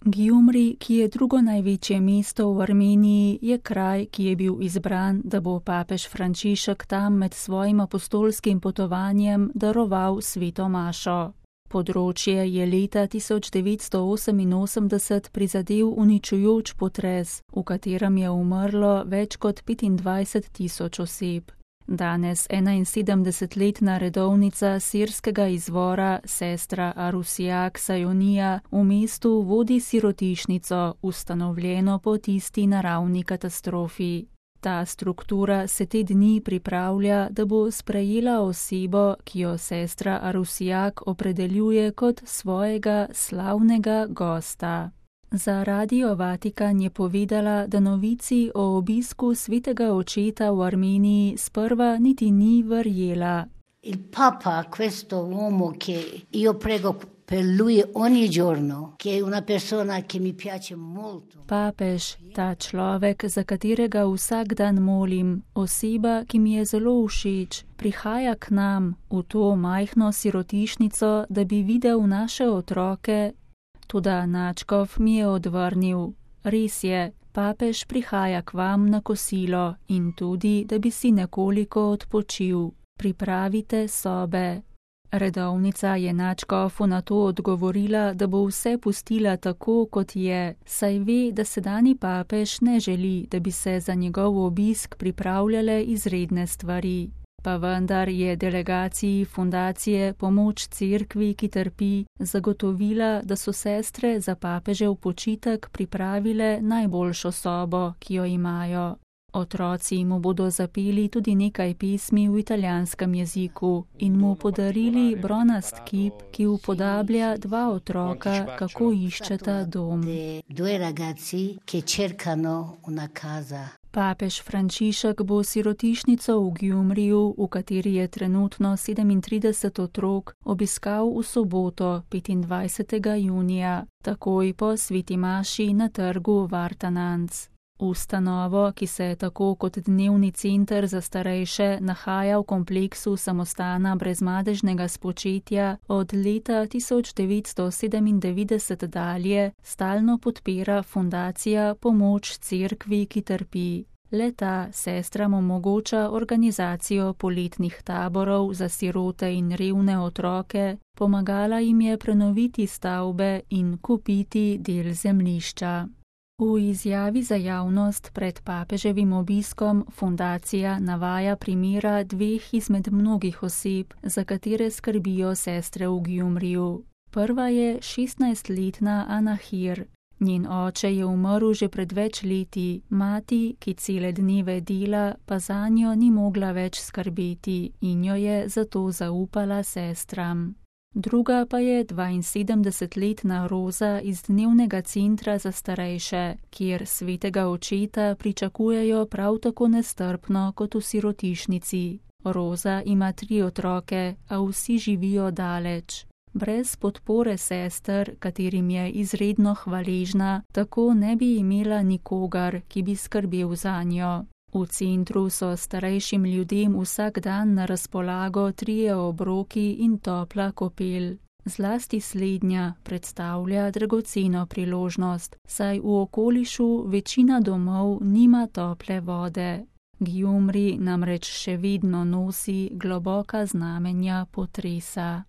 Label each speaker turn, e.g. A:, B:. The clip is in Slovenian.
A: Gjumri, ki je drugo največje mesto v Armeniji, je kraj, ki je bil izbran, da bo papež Frančišek tam med svojim apostolskim potovanjem daroval sveto mašo. Področje je leta 1988 prizadel uničujoč potres, v katerem je umrlo več kot 25.000 oseb. Danes 71-letna redovnica sirskega izvora, sestra Arusijak Sajonija, v mestu vodi sirotišnico, ustanovljeno po tisti naravni katastrofi. Ta struktura se te dni pripravlja, da bo sprejela osebo, ki jo sestra Arusijak opredeljuje kot svojega slavnega gosta. Za Radio Vatikan je povedala, da novici o obisku svetega očeta v Armeniji sprva niti ni verjela.
B: Il Papa, questo uomo che io prego per lui ogni giorno, che è una persona che mi piace molto.
A: Papež, ta človek, za katerega vsak dan molim, oseba, ki mi je zelo všeč, prihaja k nam v to majhno sirotišnico, da bi videl naše otroke. Toda nadškof mi je odvrnil. Res je, papež prihaja k vam na kosilo in tudi, da bi si nekoliko odpočil. Pripravite sobe. Redovnica je nadškofu na to odgovorila, da bo vse pustila tako, kot je, saj ve, da sedanji papež ne želi, da bi se za njegov obisk pripravljale izredne stvari. Pa vendar je delegaciji fundacije Pomoč cerkvi, ki trpi, zagotovila, da so sestre za papežev počitek pripravile najboljšo sobo, ki jo imajo. Otroci mu bodo zapeli tudi nekaj pesmi v italijanskem jeziku in mu podarili bronast kip, ki upodablja dva otroka, kako iščeta dom.
B: Due ragazzi che cercano una casa.
A: Papež Frančišek bo sirotišnico v Gjumriju, v kateri je trenutno 37 otrok, obiskal v soboto, 25. junija, takoj po sveti maši na trgu Vartananc. Ustanovo, ki se tako kot dnevni center za starejše nahaja v kompleksu samostana brezmadežnega spočetja, od leta 1997 dalje stalno podpira fundacija Pomoč cerkvi, ki trpi. Le-ta sestram omogoča organizacijo poletnih taborov za sirote in revne otroke, pomagala jim je prenoviti stavbe in kupiti del zemljišča. V izjavi za javnost pred papeževim obiskom fundacija navaja primera dveh izmed mnogih oseb, za katere skrbijo sestre v Gjumriju. Prva je 16-letna Anahir. Njen oče je umrl že pred več leti, mati, ki cele dneve dela, pa zanjo ni mogla več skrbeti in jo je zato zaupala sestram. Druga pa je 72-letna Roza iz dnevnega centra za starejše, kjer svetega očeta pričakujejo prav tako nestrpno kot v sirotišnici. Roza ima 3 otroke, a vsi živijo daleč. Brez podpore sester, katerim je izredno hvaležna, tako ne bi imela nikogar, ki bi skrbel zanjo. V centru so starejšim ljudem vsak dan na razpolago 3 obroki in topla kopel. Zlasti slednja predstavlja dragoceno priložnost, saj v okolišu večina domov nima tople vode. Gjumri namreč še vedno nosi globoka znamenja potresa.